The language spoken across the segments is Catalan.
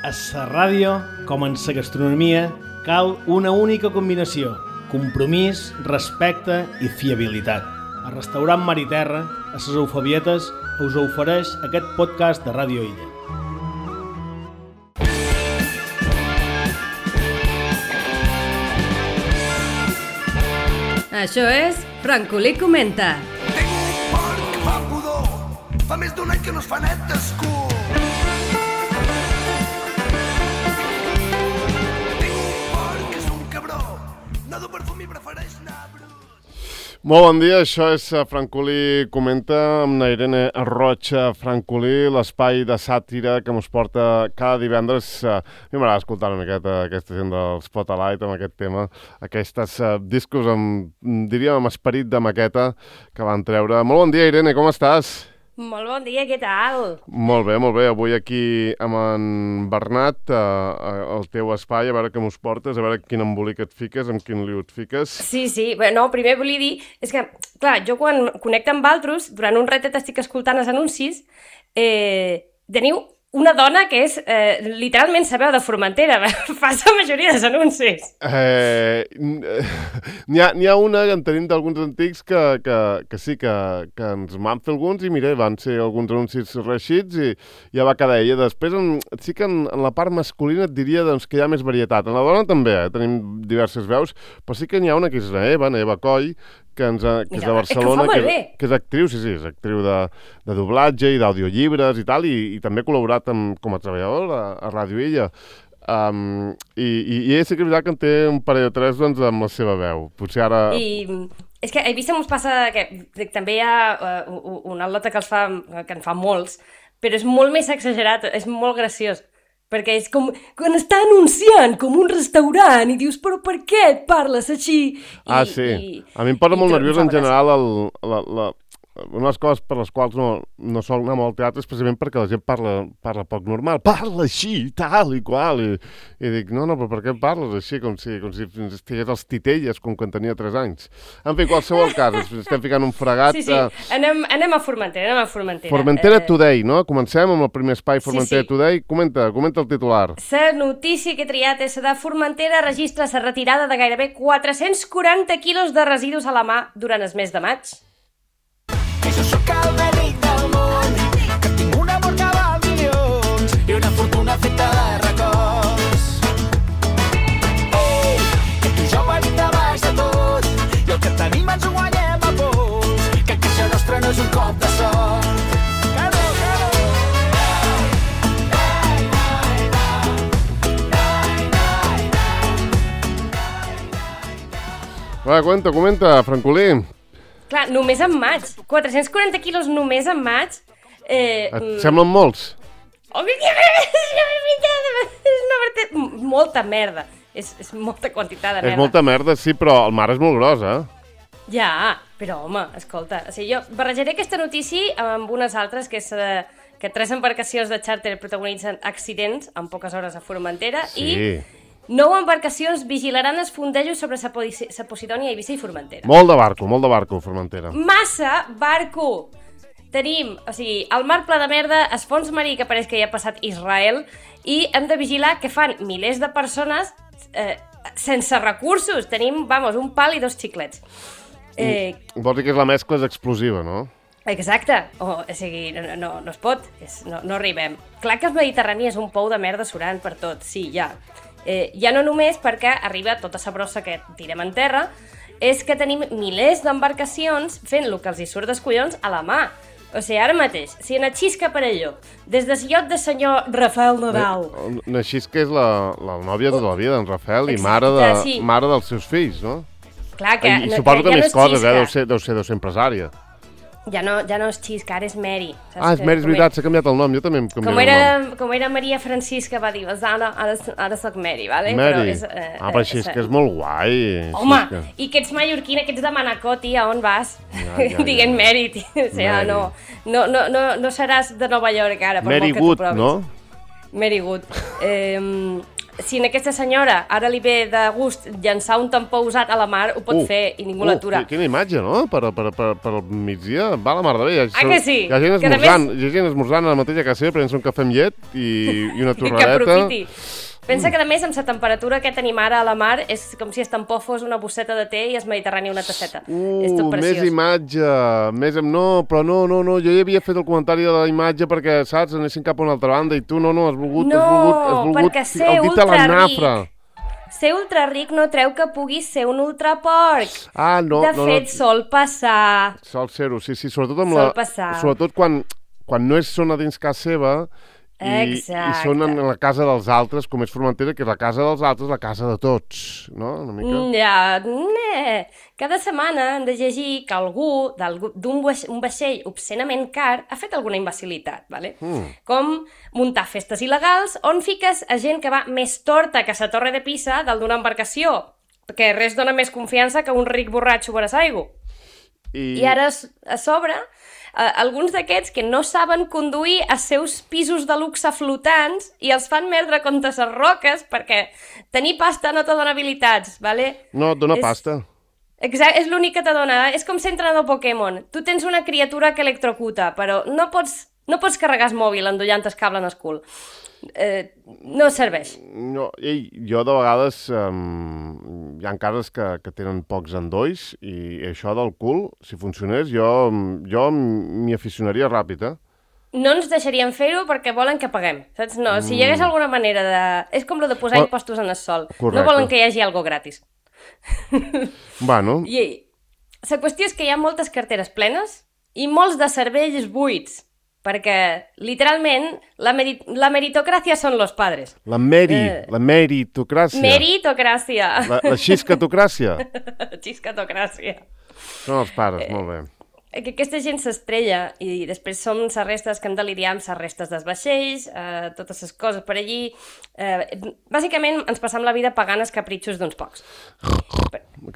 A la ràdio, com en la gastronomia, cal una única combinació: compromís, respecte i fiabilitat. El restaurant Mar i Terra, a les Eufabietes, us ofereix aquest podcast de Ràdio Illa. Això és Francolí Comenta. Tinc un porc que fa pudor, fa més d'un any que no es fa net d'escur. Tinc un porc que és un cabró, no du perfum i prefereix anar brut. Molt bon dia, això és Francolí Comenta amb la Irene Rocha Francolí, l'espai de sàtira que mos porta cada divendres. A mi m'agrada escoltar una miqueta aquesta gent del Spotlight amb aquest tema, aquests discos diríem amb esperit de maqueta que van treure. Molt bon dia, Irene, com estàs? Molt bon dia, què tal? Molt bé, molt bé. Avui aquí amb en Bernat, al teu espai, a veure què mos portes, a veure quin embolic et fiques, amb quin liu et fiques. Sí. Bé, no, primer volia dir, és que, clar, jo quan connecto amb altres, durant un ratet estic escoltant els anuncis, teniu una dona que és, literalment, la veu de Formentera, fa la majoria dels anuncis. N'hi ha una que en tenim d'alguns antics que sí, que ens van fer alguns i mira, van ser alguns anuncis reixits i ja va quedar ella. Després sí que en la part masculina et diria doncs, que hi ha més varietat. En la dona també, tenim diverses veus, però sí que n'hi ha una que és Eva Coll, que és de Barcelona, que és actriu, sí, és actriu de doblatge i d'audiollibres i tal, i també ha col·laborat com a treballador a Ràdio Illa. I sí que és veritat que en té un parell o tres doncs, amb la seva veu. Potser ara... I és que a Eivissa mos passa que també hi ha un atleta que en fa molts, però és molt més exagerat, és molt graciós. Perquè és com quan està anunciant com un restaurant i dius, però per què et parles així? Sí. A mi em posa molt nerviós en general una de les coses per les quals no sol anar molt al teatre és precisament perquè la gent parla poc normal. Parla així, tal i qual. I dic, no, però per què parles així? Com si estigués als titelles, com quan tenia 3 anys. En fi, qualsevol cas, estem ficant un fregat. Sí. Anem a Formentera, Formentera Today, no? Comencem amb el primer espai Formentera Today. Comenta el titular. La notícia que he triat és de Formentera registra la retirada de gairebé 440 quilos de residus a la mà durant el mes de maig. Que jo sóc el més ric del món, que tinc un amor que val milions i una fortuna feta de records. Ei, que tu i jo venim de baix de tot i el que tenim ens ho guanyem a pols, que això nostre no és un cop de sort. Va, comenta, Francolí. Clar, només en maig. 440 quilos només en maig. Et semblen molts? Oh, és molta merda. És molta quantitat de merda. És molta merda, sí, però el mar és molt gros, Ja, però home, escolta, o sigui, jo barrejaré aquesta notícia amb unes altres, que és que 3 embarcacions de xàrter protagonitzen accidents en poques hores a Formentera i 9 embarcacions vigilaran els fondejos sobre la Posidònia, Eivissa i Formentera. Molt de barco, Formentera. Massa barco! Tenim, o sigui, el mar ple de merda, el fons marí que pareix que hi ha passat Israel, i hem de vigilar que fan milers de persones sense recursos. Tenim, un pal i 2 xiclets. Vols dir que la mescla és explosiva, no? Exacte, o sigui, no es pot, no arribem. Clar que el Mediterrani és un pou de merda surant per tot, sí, ja. Ja no només perquè arriba tota la brossa que tirem en terra, és que tenim milers d'embarcacions fent el que els hi surt dels collons a la mà. O sigui, ara mateix, si en Xisca Parelló, des del iot de senyor Rafael Nadal... Xisca és la nòvia de la vida d'en Rafael i mare dels seus fills, no? Clar que... I suposo que més coses, deu ser empresària. Ja no és Xisca, ara és Mary. És Mary, és veritat, s'ha canviat el nom, jo també em canviat el nom. Com era Maria Francisca, va dir, ara soc Mary, vale? Mary, però Xisca és molt guai. Home, i que ets mallorquina, que ets de Manacor, tia, on vas? Diguent Mary, tia, o sigui, no seràs de Nova York ara, per Mary molt que tu Good, provis. no? Mary Good. si en aquesta senyora ara li ve de gust llançar un tampó usat a la mar, ho pot fer i ningú l'atura. Quina imatge, no? Per al migdia, va la mar de bé. Que sí? Hi ha gent esmorzant a la mateixa casa seva, prenent un cafè amb llet i una torradeta. Que aprofiti. Pensa que, a més, amb la temperatura que tenim ara a la mar, és com si el tampó fos una bosseta de té i el Mediterrani una tasseta. És tot preciós. Més imatge. No, jo ja havia fet el comentari de la imatge perquè, saps, anessin cap a una altra banda i tu has volgut perquè ser el dit a la nafra. Ser ultraric no treu que puguis ser un ultraporc. No. De fet, sol passar. Sol ser-ho, sí, sobretot quan no és zona dins casa seva. I són en la casa dels altres, com és Formentera, que és la casa dels altres, la casa de tots, no? Una mica. Cada setmana hem de llegir que algú d'un vaixell obscenament car ha fet alguna imbecilitat, ¿vale? Com muntar festes il·legals on fiques a gent que va més torta que la Torre de Pisa dalt d'una embarcació, perquè res dona més confiança que un ric borratxo per a l'aigua. I ara, a sobre, alguns d'aquests que no saben conduir els seus pisos de luxe flotants i els fan merdre contra les roques perquè tenir pasta no te dona habilitats, ¿vale? No, et dona pasta. Exacte, és l'únic que te dona. És com ser entrenador Pokémon. Tu tens una criatura que electrocuta, però no pots carregar el mòbil endollant el cable en el cul. No serveix. No, jo de vegades hi ha cases que tenen pocs endolls i això del cul, si funcionés, jo m'hi aficionaria ràpid, No ens deixarien fer-ho perquè volen que paguem, saps? No, si hi hagués alguna manera de... És com lo de posar impostos en el sol. Correcte. No volen que hi hagi algo gratis. Bueno. I la qüestió és que hi ha moltes carteres plenes i molts de cervells buits. Perquè, literalment, la meritocràcia són los padres. La meritocràcia. Meritocràcia. La xiscatocràcia. Xiscatocràcia. Són els pares, molt bé. Que aquesta gent s'estrella i després som les restes que hem de lidiar amb les restes dels vaixells, totes les coses per allí. Bàsicament ens passam la vida pagant els capritxos d'uns pocs.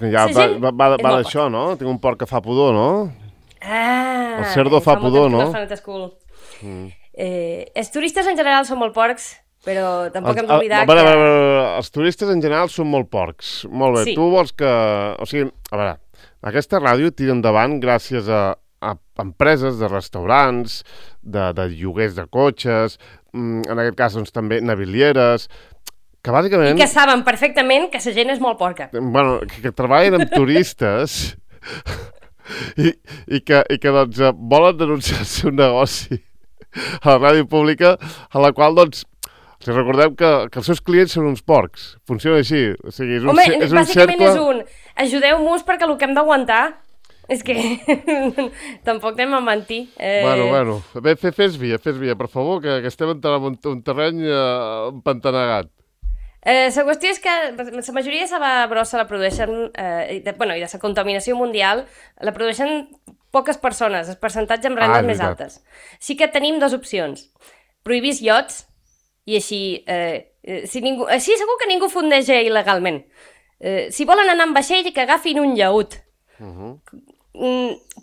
Ja va d'això, no? Tinc un porc que fa pudor, no? El cerdo fa pudor, no? Els turistes en general són molt porcs, però tampoc hem d'oblidar que... Els turistes en general són molt porcs. Molt bé, tu vols que... O sigui, a veure, aquesta ràdio tira endavant gràcies a empreses de restaurants, de lloguers de cotxes, en aquest cas doncs, també navilieres, que bàsicament... I que saben perfectament que la gent és molt porca. Bueno, que treballen amb turistes... I que doncs, volen denunciar el seu negoci a la ràdio pública, a la qual, doncs, si recordem que els seus clients són uns porcs. Funciona així. O sigui, és un bàsicament cercle... és un... Ajudeu-nos perquè el que hem d'aguantar és que tampoc anem a mentir. Bueno. Bé, fes via, per favor, que estem entrant en un terreny empantanegat. La qüestió és que la majoria de la brossa la produeixen, i de la contaminació mundial, la produeixen poques persones, el percentatge amb rendes més altes. Sí que tenim dues opcions. Prohibir els iots, i així segur que ningú fondeja il·legalment. Si volen anar amb vaixell, que agafin un llaüt.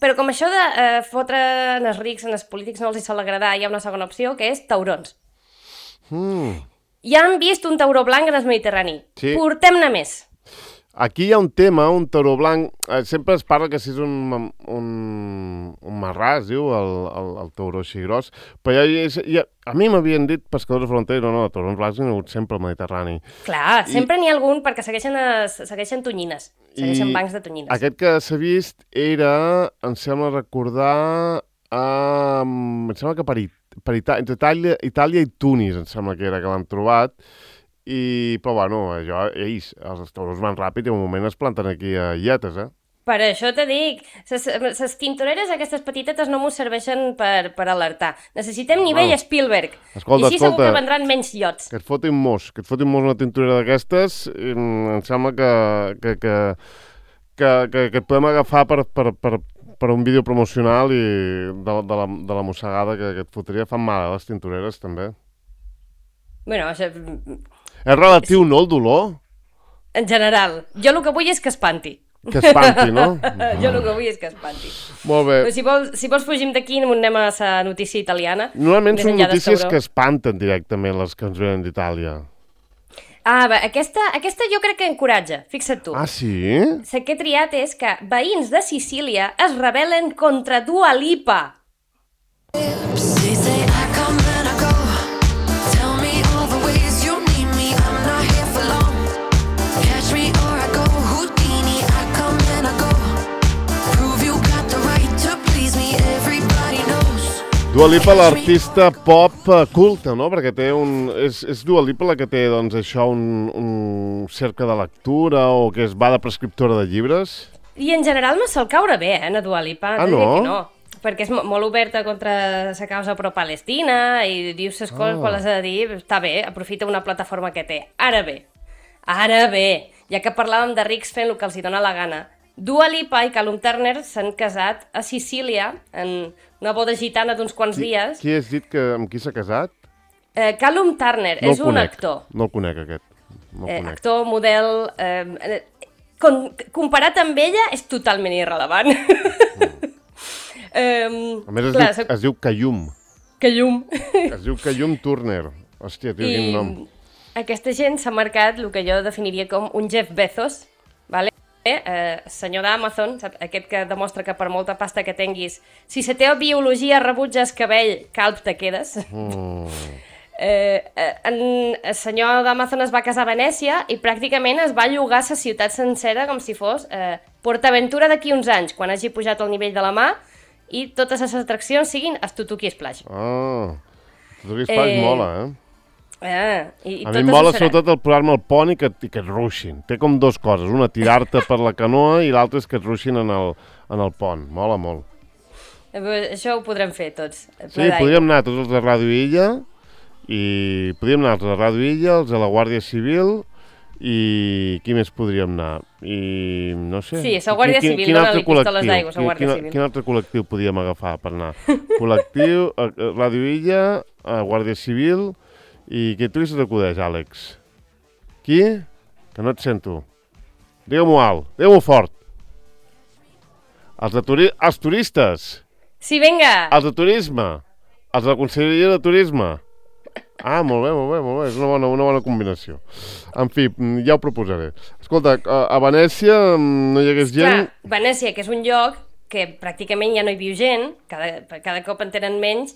Però com això de fotre en els rics, en els polítics no els hi sol agradar, hi ha una segona opció, que és taurons. Ja han vist un tauró blanc en el Mediterrani. Sí. Portem-ne més. Aquí hi ha un tema, un tauró blanc... Sempre es parla que si és un marrà, es diu, el tauró així gros. Però a mi m'havien dit pescadors de frontera, no, taurons blancs n'hi ha hagut sempre al Mediterrani. Clar, sempre n'hi ha algun perquè segueixen tonyines. Segueixen bancs de tonyines. Aquest que s'ha vist era, em sembla recordar, em sembla que entre Itàlia i Tunis, em sembla que era que l'han trobat, però bueno, els taurons van ràpid i en un moment es planten aquí a illetes, Per això te dic, les tintoreres aquestes petitetes no m'ho serveixen per alertar. Necessitem nivell Spielberg, i així segur que vendran menys iots. Que et fotin mos una tintorera d'aquestes, em sembla que et podem agafar per un vídeo promocional i de la mossegada que et fotria. Fan mal, les tintoreres, també. Bueno, això... És relatiu, no, el dolor? En general. Jo el que vull és que espanti. Que espanti, no? Jo el que vull és que espanti. Molt bé. Però si vols fugim d'aquí, anem a la notícia italiana. Normalment són notícies que espanten directament les que ens venen d'Itàlia. Aquesta jo crec que encoratja, fixa't tu. Ah, sí? La que he triat és que veïns de Sicília es rebel·len contra Dua Lipa. They say I come and I go. Tell me all the ways you need me. I'm not here for long. Catch me or I go Houdini. I come and I go. Prove you got the right to please me. Everybody knows. Dua Lipa, l'artista pop culte, no? Perquè té és Dua Lipa la que té, doncs, això, un cercle de lectura o que es va de prescriptora de llibres? I en general no sol caure bé, a Dua Lipa. Ah, T'he de dir no? que no? Perquè és molt oberta contra la causa pro-Palestina i diu les coses quan les ha de dir, està bé, aprofita una plataforma que té. Ara bé, ja que parlàvem de rics fent el que els hi dona la gana, Dua Lipa i Callum Turner s'han casat a Sicília en una boda gitana d'uns quants dies. Qui has dit amb qui s'ha casat? Callum Turner No el és un conec. actor. No el conec, aquest. No el conec. Actor, model... comparat amb ella és totalment irrellevant. A més, es diu Callum. Callum. Es diu Callum Turner. Hòstia, tio, quin nom. Aquesta gent s'ha marcat el que jo definiria com un Jeff Bezos, vale? Senyor d'Amazon, aquest que demostra que per molta pasta que tinguis, si la teva biologia rebutja el cabell, calb te quedes. El senyor d'Amazon es va casar a Venècia i pràcticament es va llogar la ciutat sencera com si fos PortAventura d'aquí uns anys, quan hagi pujat el nivell de la mà i totes les atraccions siguin el Tutuki Splash. Tutuki Splash mola, I a mi em mola sobretot el posar-me el pont i que et ruixin. Té com dues coses, una tirar-te per la canoa i l'altra és que et ruixin en el pont. Mola molt. Això ho podrem fer tots. Sí, podríem anar tots els de Ràdio Illa i podríem anar els de Ràdio Illa, els de la Guàrdia Civil i qui més podríem anar? I no sé... Sí, la Guàrdia Civil, dona-li pistoles d'aigua, la Guàrdia Civil. Quin altre col·lectiu podíem agafar per anar? Col·lectiu, Ràdio Illa, Guàrdia Civil i què tu se t'acudeix, Àlex? Qui? Que no et sento. Digue-m'ho alt, digue-m'ho fort. Els turistes. Sí, vinga. Els de turisme. Els de la Conselleria de Turisme. Ah, molt bé, és una bona combinació. En fi, ja ho proposaré. Escolta, a Venècia no hi hagués gent... Clar, Venècia, que és un lloc que pràcticament ja no hi viu gent, cada cop en tenen menys,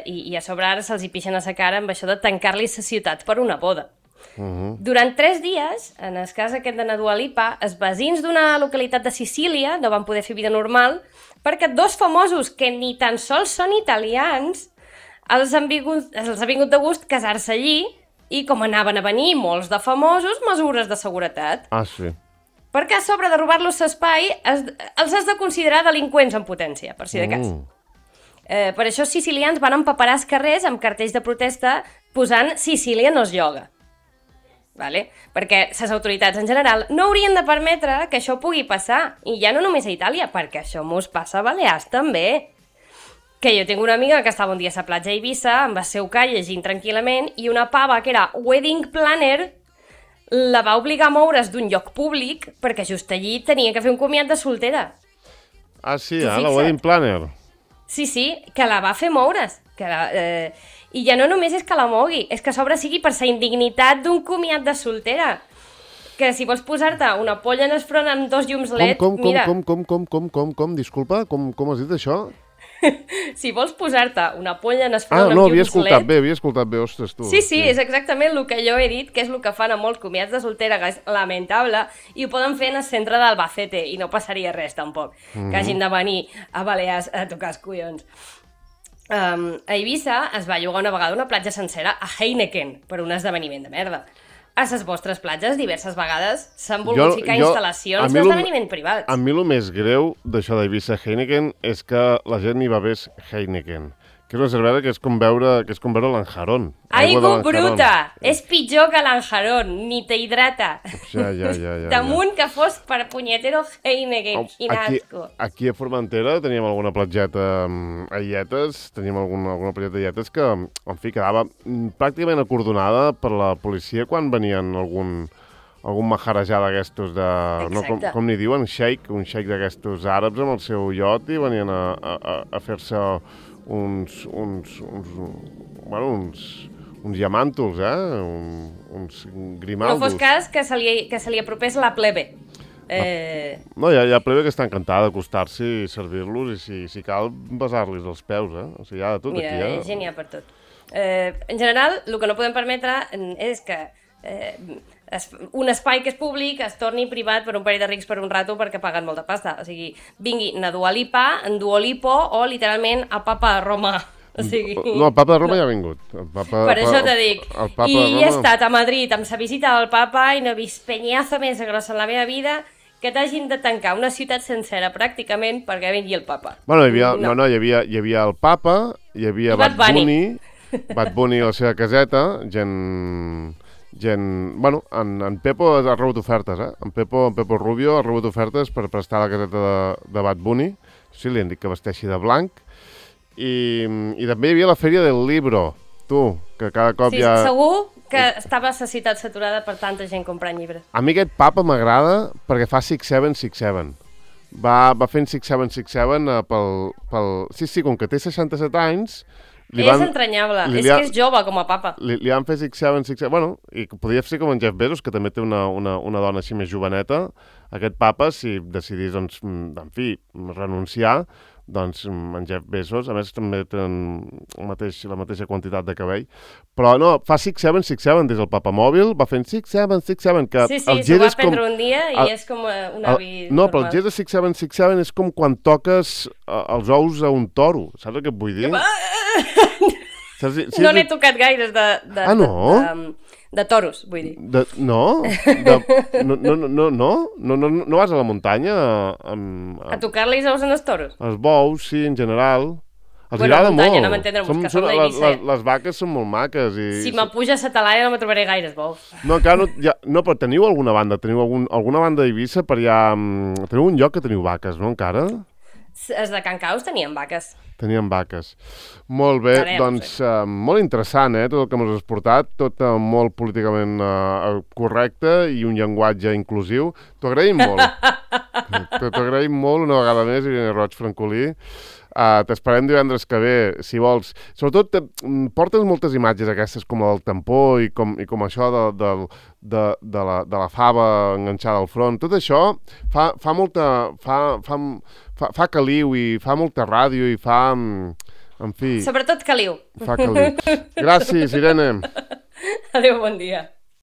i a sobre ara se'ls hi pixen a la cara amb això de tancar-li la ciutat per una boda. Durant 3 dies, en el cas aquest de Dua Lipa, els veïns d'una localitat de Sicília no van poder fer vida normal perquè 2 famosos que ni tan sols són italians els ha vingut de gust casar-se allí i com anaven a venir molts de famosos, mesures de seguretat. Ah, sí. Perquè a sobre de robar-los l'espai els has de considerar delinqüents en potència, per si de cas. Per això els sicilians van empaperar els carrers amb cartells de protesta posant Sicília no es lloga. Vale? Perquè les autoritats en general no haurien de permetre que això pugui passar, i ja no només a Itàlia, perquè això mos passa a Balears també. Que jo tinc una amiga que estava un dia a la platja a Eivissa amb el seu call llegint tranquil·lament i una pava que era wedding planner la va obligar a moure's d'un lloc públic perquè just allí tenia que fer un comiat de soltera. Ah, sí, la wedding planner. Sí, que la va fer moure's. I ja no només és que la mogui, és que a sobre sigui per la indignitat d'un comiat de soltera. Que si vols posar-te una polla en el front amb 2 llums LED, mira... Disculpa, com has dit això? Si vols posar-te una polla en el front amb no, llums LED... havia escoltat bé, ostres, tu. Sí, és exactament el que jo he dit, que és el que fan a molts comiats de soltera, que és lamentable, i ho poden fer en el centre d'Albacete, i no passaria res, tampoc, que hagin de venir a Balears a tocar els collons. A Eivissa es va llogar una vegada una platja sencera a Heineken per un esdeveniment de merda. A les vostres platges diverses vegades s'han volgut ficar instal·lacions d'esdeveniment privat. A mi el més greu d'això d'Eivissa Heineken és que la gent hi va bé Heineken, que és una cervesa que és com veure l'Anjarón. Aigua bruta! És pitjor que l'Anjarón, ni t'hidrata. Ja. Damunt que fos per punyetero Heineken, quin asco. Aquí a Formentera teníem alguna platgeta a illetes, teníem alguna platgeta a illetes que, en fi, quedava pràcticament acordonada per la policia quan venien algun maharajà d'aquestos de... No, com n'hi diuen? Un xeic d'aquestos àrabs amb el seu iot i venien a fer-se uns uns diamàntols, uns No grimaldos. fos cas que se li apropés la plebe. No, hi ha plebe que està encantada d'acostar-s'hi i servir-los i si cal besar-los els peus, O sigui, hi ha de tot Mira, aquí, gent hi ha per tot. En general, el que no podem permetre és que un espai que és públic es torni privat per un parell de rics per un rato perquè paguen molta pasta. O sigui, vingui a Dua Lipa, en Duolipo o literalment a Papa a Roma. O sigui... No, el papa de Roma ja ha vingut. Per això t'he dit. El papa I de Roma... he estat a Madrid amb la visita del papa i no he vist penyazo més grossa en la meva vida que t'hagin de tancar una ciutat sencera pràcticament perquè vingui el papa. Bueno, hi havia el papa, hi havia I Bad Bunny a la seva caseta, bueno, en Pepo ha rebut ofertes, En Pepo Rubio ha rebut ofertes per prestar la caseta de Bad Bunny. Sí, li han dit que vesteixi de blanc. I també hi havia la Fèria del Libro, que cada cop Sí, segur que estava la ciutat saturada per tanta gent comprant llibres. A mi aquest papa m'agrada perquè fa 6-7. Va fent 6-7 pel... Sí, com que té 67 anys... És entranyable, és que és jove com a papa. Li van fer 6-7... Bueno, i podria ser com en Jeff Bezos, que també té una dona així més joveneta. Aquest papa, si decidís, doncs, en fi, renunciar, doncs en Jeff Bezos, a més també tenen la mateixa quantitat de cabell, però no, fa 6-7 des del papamòbil, va fent 6-7, que Sí, el s'ho gir va és com... prendre un dia i és com un avi No, normal. però el gir de 6-7 és com quan toques els ous a un toro, saps el que et vull dir? No n'he tocat gaires de toros, vull dir. No vas a la muntanya A tocar-li els ous en els toros? els bous, sí, en general. Els Bueno, agrada muntanya, molt. no m'entendrem, que som d'Eivissa. Les vaques són molt maques. Si m'apuja a la talaia no me trobaré gaires bous. No, encara no, però teniu alguna banda? Teniu alguna banda d'Eivissa per allà... Teniu un lloc que teniu vaques, no, encara? Els de Can Caus tenien vaques. Tenien vaques. Molt bé, doncs molt interessant, tot el que m'has portat, tot molt políticament correcte i un llenguatge inclusiu. T'ho agraïm molt. T'ho agraïm molt una vegada més, Irene Roig Francolí. T'esperem divendres que ve, si vols. Sobretot, portes moltes imatges aquestes com el del tampó i com això de la fava enganxada al front. Tot això fa molta... fa caliu i fa molta ràdio i fa... En fi... Sobretot caliu. Fa caliu. Gràcies, Irene. Adéu, bon dia.